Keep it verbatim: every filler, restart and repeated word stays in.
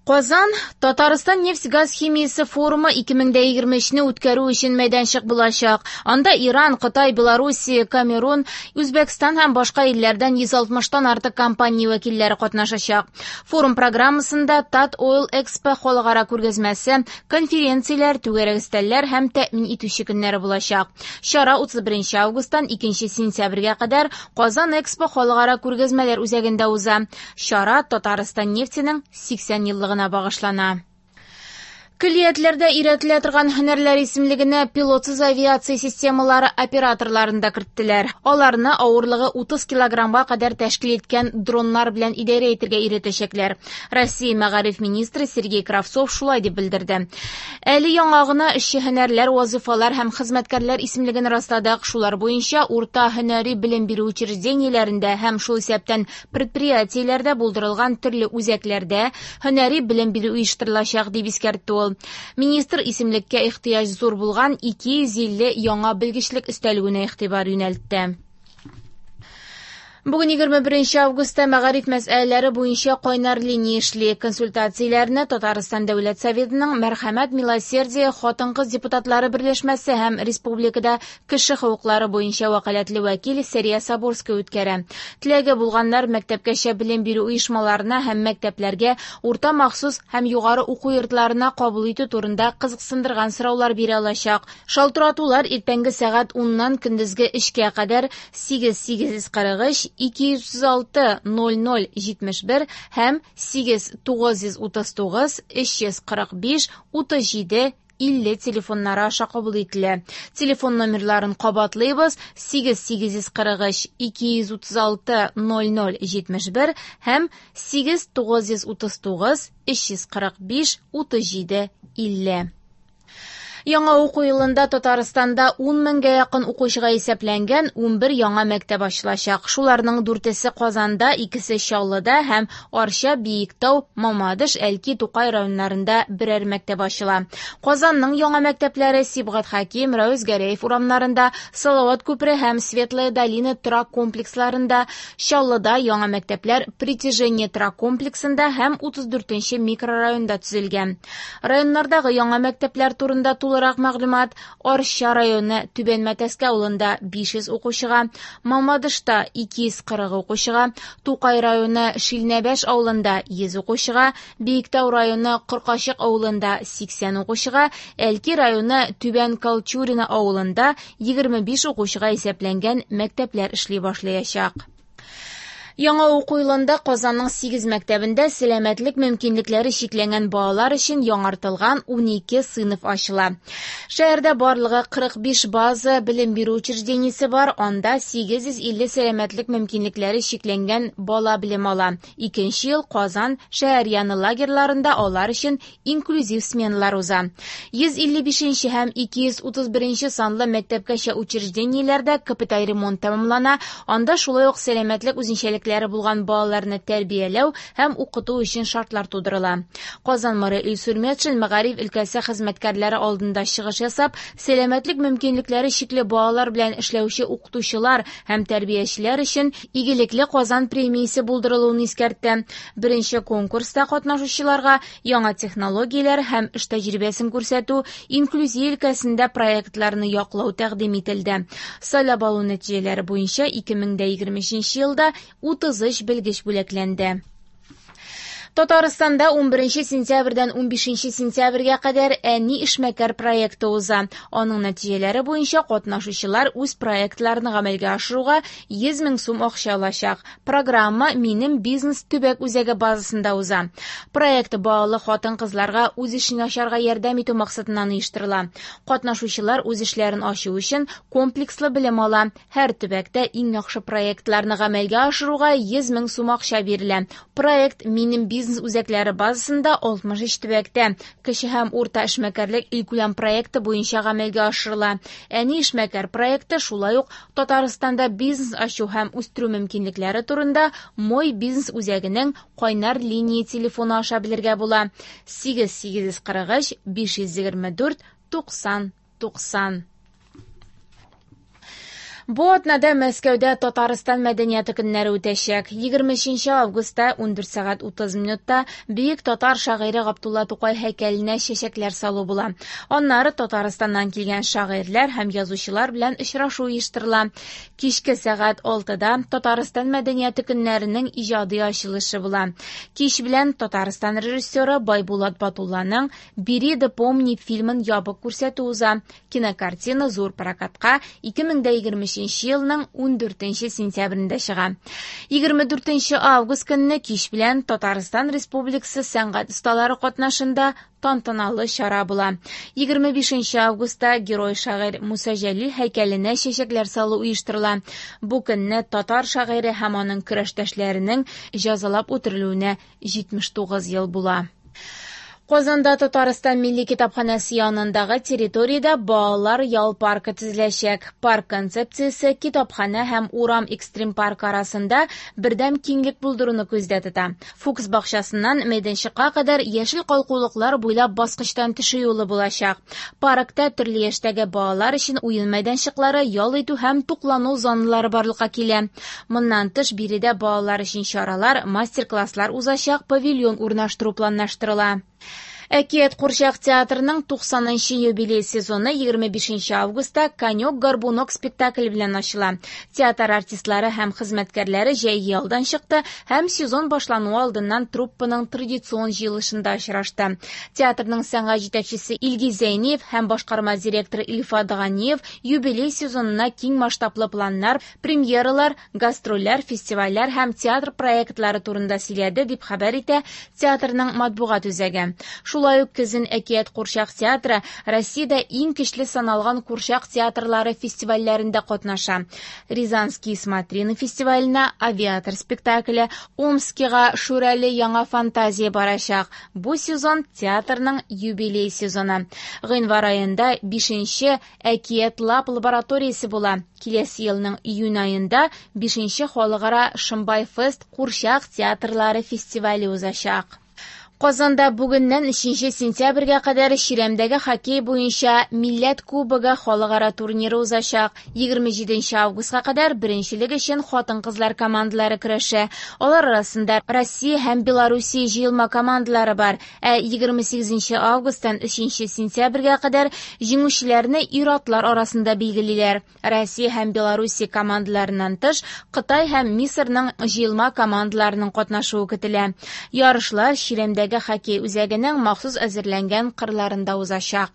Казан Татарстан нефть-газ химиясе форумы ике мең дә егерме өчне үткәрү өчен мәйданчык булачак. Анда Иран, Кытай, Белоруссия, Камерун, Үзбәкстан һәм башка илләрдән йөз алтмыштан артык компания вәкилләре катнашачак. Форум программасында Тат-Ойл Экспо халыкара күргәзмәсе, конференцияләр, түгәрәк өстәлләр һәм тәэмин итүче көннәре булачак. Чара утыз беренче августтан икенче сентябрьгә кадәр Казан Экспо халыкара күргәзмәләр үзәгендә уза. Чара Татарстан нефтенең сиксән еллыгына багышлана. Көллиятләрдә өйрәтелә торган һөнәрләр исемлегенә пилотсыз авиация системалары операторларын да керттеләр. Аларны авырлыгы утыз килограммга кадәр тәшкил иткән дроннар белән идарә итәргә өйрәтәчәкләр. Россия мәгариф министры Сергей Кравцов шулай дип белдерде. Әле яңа гына эшче һөнәрләр, вазифалар һәм хезмәткәрләр исемлеген расладык. Шулар буенча урта һөнәри белем бирү учреждениеләрендә һәм шул исәптән предприятиеләрдә булдырылган төрле үзәкләрдә һөнәри белем бирү оештырылачак, дип искәртте ул. Министр исемлеккә ихтыяҗ зур булган ике йөз илле яңа белгечлек өстәлүенә игътибар юнәлтте. Бүген егерме беренче августта мәгариф мәсьәләләре буенча кайнар линия эшли. Консультацияләрне Татарстан Дәүләт Советының Мәрхәмәт Милосердие хатын-кыз депутатлары берләшмәсе һәм республикада кеше хокуклары буенча вәкаләтле вәкил Сәрия Сабурская үткәрә. Теләге булганнар мәктәпкәчә белем бирү оешмаларына һәм мәктәпләргә, урта махсус һәм югары уку йортларына кабул итү турында кызыксындырган сораулар бирә алачак. Шалтыратулар иртәнге сәгать уннан көндезге өчкә кадәр сигез сигез йөз кырык өч ике йөз алты ноль ноль җитмеш бер һәм сигез тугыз йөз утыз тугыз өч йөз кырык биш утыз җиде илле телефоннары аша кабул ителә. Телефон номерларын кабатлыйбыз: сигез сигез йөз кырык өч ике йөз утыз алты ноль ноль җитмеш бер һәм сигез тугыз йөз утыз тугыз өч йөз кырык биш утыз җиде илле. Яңа уку елында Татарстанда ун меңгә якын укучыга исәпләнгән ун бер яңа мәктәп ачылачак. Шуларның дүртесе Казанда, икесе Чаллыда һәм Арча, Биектау, Мамадыш, Әлки, Тукай районнарында берәр мәктәп ачыла. Казанның яңа мәктәпләре Сибгат Хәким, Рәүз Гәрәев урамнарында, Салават күпере һәм Светлая долина торак комплексларында, Чаллыда яңа мәктәпләр Притяжение торак комплексында һәм утыз дүртенче микрорайонда төзелгән. Районнардагы яңа мәктәпләр турында тулырак мәгълүмат: Арча районы Түбән Мәтәскә авылында биш йөз укучыга, Мамадышта ике йөз кырык укучыга, Тукай районы Шилнәбәш авылында йөз укучыга, Биектау районы Коркачык авылында сиксән укучыга, Әлки районы Түбән Колчурино авылында егерме биш укучыга исәпләнгән мәктәпләр эшли башлаячак. Яңа уку елында Казанның сигез мәктәбендә сәламәтлек мөмкинлекләре чикләнгән балалар өчен яңартылган унике сыйныф ачыла. Шәһәрдә барлыгы кырык биш база белем бирү учреждениесе бар, анда сигез йөз илле сәламәтлек мөмкинлекләре чикләнгән бала белем ала. Икенче ел Казан шәһәр яны лагерьларында алар өчен инклюзив сменалар уза. Йөз илле бишенче һәм ике йөз утыз беренче санлы мәктәпкәчә учреждениеләрдә капиталь ремонт тәмамлана, анда шулай ук сәламәтлек үзенчәлекләре булган балаларны тәрбияләү һәм укыту өчен шартлар тудырыла. Казан мэры Илсур Метшин мәгариф өлкәсе хезмәткәрләре алдында чыгыш ясап, сәламәтлек мөмкинлекләре чикле балалар белән эшләүче укытучылар һәм тәрбиячеләр өчен игелекле Казан премиясе булдырылуын искәртте. Беренче конкурста катнашучыларга яңа технологияләр һәм эш тәҗрибәсен күрсәтү, инклюзия өлкәсендә проектларны яклау тәкъдим ителде. Сайлап алу нәтиҗәләре буенча ике мең дә егерме өченче елда утыз өч белгеч бүләкләнде. Татарстанда ун беренче сентябрьдән ун бишенче сентябрьгә кадәр Әни эшмәкәр проекты уза. Аның нәтиҗәләре буенча катнашучылар үз проектларын гамәлгә ашыруга йөз мең сум акча алачак. Программа Минем бизнес төбәк үзәге базасында уза. Проект балалы хатын-кызларга үз эшен ачарга ярдәм итү максатыннан оештырыла. Катнашучылар үз эшләрен ачу өчен комплекслы белем ала. Һәр төбәктә иң яхшы проектларны гамәлгә ашыруга йөз мең сум акча бирелә. Проект Минем бизнес үзәкләре базасында алтмыш өч төбәктә кече һәм урта эшмәкәрлек илкүләм проекты буенча гамәлгә ашырыла. Әни эшмәкәр проекты шулай ук Татарстанда бизнес ачу һәм үстерү мөмкинлекләре турында Мой бизнес үзәгенең кайнар линия телефоны аша белергә була. Сигез сигез йөз кырык өч биш йөз егерме дүрт туксан туксан. Бу атнада Мәскәүдә Татарстан мәдәнияте көннәре үтәчәк. егерме өченче августта ундүрт сәгать утыз минутта бөек татар шагыйре Габдулла Тукай һәйкәленә чәчәкләр салу була. Аннары Татарстаннан килгән шагыйрьләр һәм язучылар белән очрашу оештырыла. Кичке сәгать алтыда Татарстан мәдәнияте көннәренең иҗади ачылышы була. Кич белән Татарстан режиссеры Байбулат Батулланың «Бери да помни» фильмын ябык күрсәтү уза. Кинокартина зур прокатка ике мең дә егерме өченче елның ундүртенче сентябрендә чыга. егерме дүртенче август көнне кич белән Татарстан Республикасы сәнгать осталары катнашында тантаналы чара була. егерме бишенче августта герой шагыйрь Муса Җәлил һәйкәленә чәчәкләр салу оештырыла. Бу көнне татар шагыйре һәм аның көрәштәшләренең җәзалап үтерелүенә җитмеш тугыз ел була. Казанда Татарстан Милли китапханәсе янындагы территориядә балалар ял паркы төзеләчәк. Парк концепциясе китапханә һәм урам экстрим паркы арасында бердәм киңлек булдыруны күздә тота. Фукс бакчасыннан мәйданчыкка кадәр яшел калкулыклар буйлап баскычтан төшү юлы булачак. Паркта төрле яшьтәге балалар өчен уен мәйданчыклары, ял итү һәм туклану зоналары барлыкка килә. Моннан тыш биредә балалар өчен чаралар, мастер-класслар узачак павильон урнаштыру планлаштырыла. Әкият курчак театрының туксанынчы юбилей сезоны егерме бишенче августта «Конек-горбунок» спектакле белән ачыла. Театр артистлары һәм хезмәткәрләре җәйге ялдан чыкты һәм сезон башлануы алдыннан труппаның традицион җыелышында очрашты. Театрның сәнгать җитәкчесе Илгиз Зәйниев һәм башкарма директоры Илфат Ганиев юбилей сезонына киң масштаблы планнар, премьералар, гастрольләр, фестивальләр һәм театр проектлары турында сөйләде, дип хәбәр итә театрның матбугат үзәге. Шулай ук көзен Әкият курчак театры Россиядә иң көчле саналган курчак театрлары фестивальләрендә катнаша. Рязанские смотрины фестиваленә «Авиатор» спектакле, Омскига «Шүрәле яңа фантазия» барачак. Бу сезон театрның юбилей сезоны. Гыйнвар аенда бишенче Әкият Лаб лабораториясе була. Киләсе елның июнь аенда бишенче халыкара Шымбай фест курчак театрлары фестивале узачак. Казанда бүгеннән өченче сентябрьгә кадәр Чирәмдәге хоккей буенча Милләт кубогы халыкара турниры узачак. егерме җиденче августка кадәр беренчелек өчен хатын-кызлар командалары көрәшә. Алар арасында Россия һәм Белоруссия җыелма командалары бар. Ә егерме сигезенче августтан өченче сентябрьгә кадәр җиңүчеләрне ир-атлар арасында билгелиләр. Россия һәм Белоруссия командаларыннан тыш, Кытай һәм Мисырның җыелма командаларының катнашуы көтелә. Ярышлар Чирәмдәге хоккей үзәгенең махсус әзерләнгән кырларында узачак.